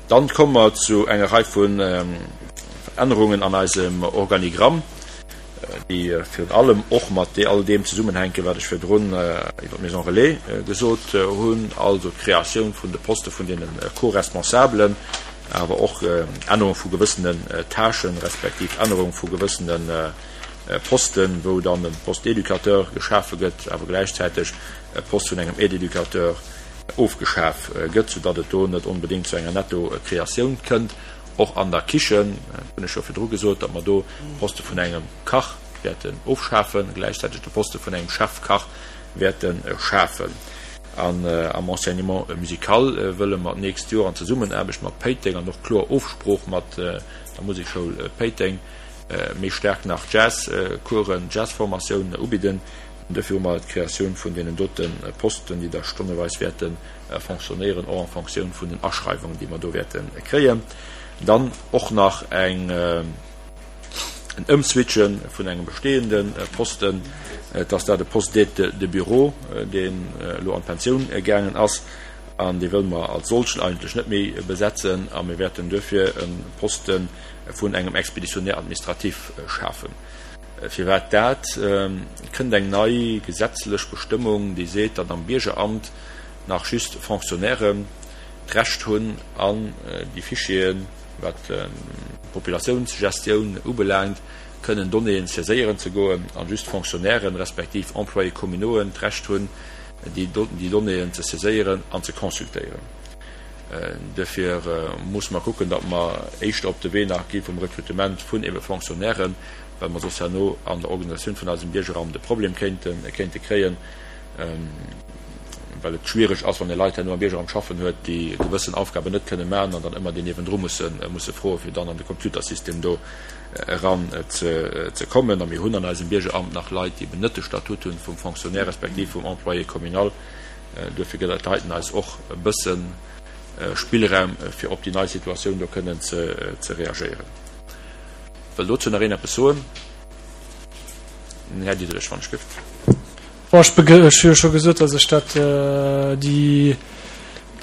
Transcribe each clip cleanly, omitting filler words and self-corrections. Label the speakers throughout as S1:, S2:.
S1: Dann komme mer zu enger Rei vun Ännerungen an eisem Organigramm, déi virun allem och mat all deem zesummenhänken, wat ech virdrun iwwer d'Maison Relais gesot hunn, also d'Kreatioun vun de Poste vun deene Co-Responsabelen, awer och Ännerung vu gewëssenen Tâchen, respektiv Ännerung vu gewëssene Posten, wou dann e Poste d'éducateur geschafe gëtt, awer gläichzäiteg e Poste vun engem Aide-éducateur ofgeschaf gëtt, soudatt et do net onbedéngt zu enger Netto-Kreatioun kënnt. Och an der Kichen, dat hunn ech jo virdru gesot, datt mer do de Poste vun engem Kach wäerten ofschafen, gläichzäiteg de Poste vun engem Chefkach wäerte schafen. An am Enseignement musical wëlle mer d'nächst Joer an Zesummenaarbecht mat Péiteng an och kloer Ofsprooch mat der Musekschoul Péiteng méi staark nach Jazzcoursen, Jazzformatioun ubidden. An duerfir hu mer d'Kreatioun vun deenen dote Posten, déi da stonneweis wäerte fonctionnéieren, och en Fonctioun vun den Aschreiwungen, déi mer do wäerte kréien. Dann och nach eng, en Ëmswitche vun engem bestehende Posten, et ass dat e Poste d'aide de bureau, deen elo an d'Pensioun gaangen ass, an dee wëlle mer als solchen eigentlech net méi besetzen, a mir wäerten duerfir e Poste vun engem Expéditionnaire administratif schafen. Firwat dat? Et kënnt eng nei gesetzlech Bestëmmung, déi seet, datt am Biergeramt nach just Fonctionnairen d'Recht hunn, an déi Fichieren, wat d'Populatiounsgestioun ubelaangt, kënnen Donnéeën saiséieren ze goen, a just Fonctionnairen, respektiv Employés communauxen d'Recht hunn, déi Donnéeën ze saiséieren an ze consultéieren. Duerfir musse mer kucken, datt mer éischter op de Wee nach gi vum Rekrutement vun ebe Fonctionnairen, well mer soss herno an der Organisatioun vun eisem Biergeramt e Problem kéinte kréien, well et schwiereg ass, wann ee Leit herno am Biergeramt schaffen huet, déi gewëssen Aufgaben net kënne maachen an dann ëmmer déi niewendru musse froen, fir dann an de Computersystem do eran ze kommen. A mir hunn an eisem Biergeramt nach Leit, déi eben net de Statut hunn vum Fonctionnaire respektiv vum Employé communal. Duerfir gëtt dat heiten eis och e bësse Spillraum, fir op déi nei Situatioun do kënnen ze reagéieren. Wëll dozou nach een eppes soen? Den Här Diderich, wann ech gëft.
S2: Bon, ech hu jo scho gesot, datt ech dat, déi,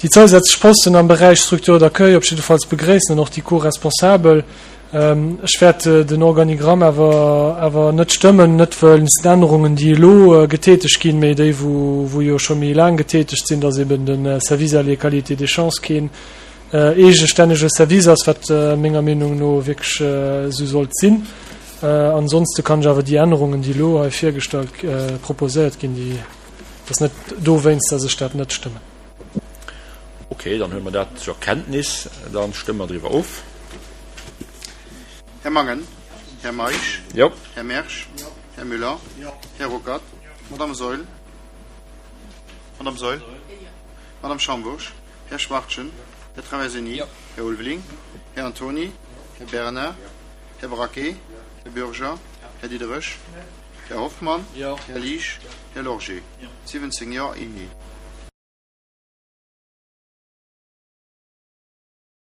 S2: déi zousätzlech Posten am Beräich Structure d'accueil op jiddefalls begréissen an och déi Co-responsabel. Ech wäert den Organigramm awer, awer net stëmmen, net wëinst den Ännerungen, déi elo getätegt ginn, mee déi, wou, wou jo scho méi laang getätegt sinn, datt eben de Service à l'égalité des chances keen eegestännege Service ass, wat menger Meenung no wierklech esou sollt sinn. Ansonste kann ech awer déi Ännerungen, déi elo hei virgestallt, proposéiert ginn, déi, dat ass net dowéinst, datt ech dat net stëmmen.
S1: Okay, dann huele mer dat zur Kenntnis. Da stëmme mer driwwer of.
S3: Här Mangen. Här Meisch.
S1: Jo.
S3: Här Mersch. Här Müller. Här Ruckert. Madame Saeul. Madame Saeul. Madame Schambourg. Här Schwachtgen. Här Traversini. Här Ulveling. Här Antony. Här Bernard. Här Braquet. Här Bürger. Här Diderich. Här Hoffmann. Här Liesch. Här Lorgé. 17 Jo, een Nee.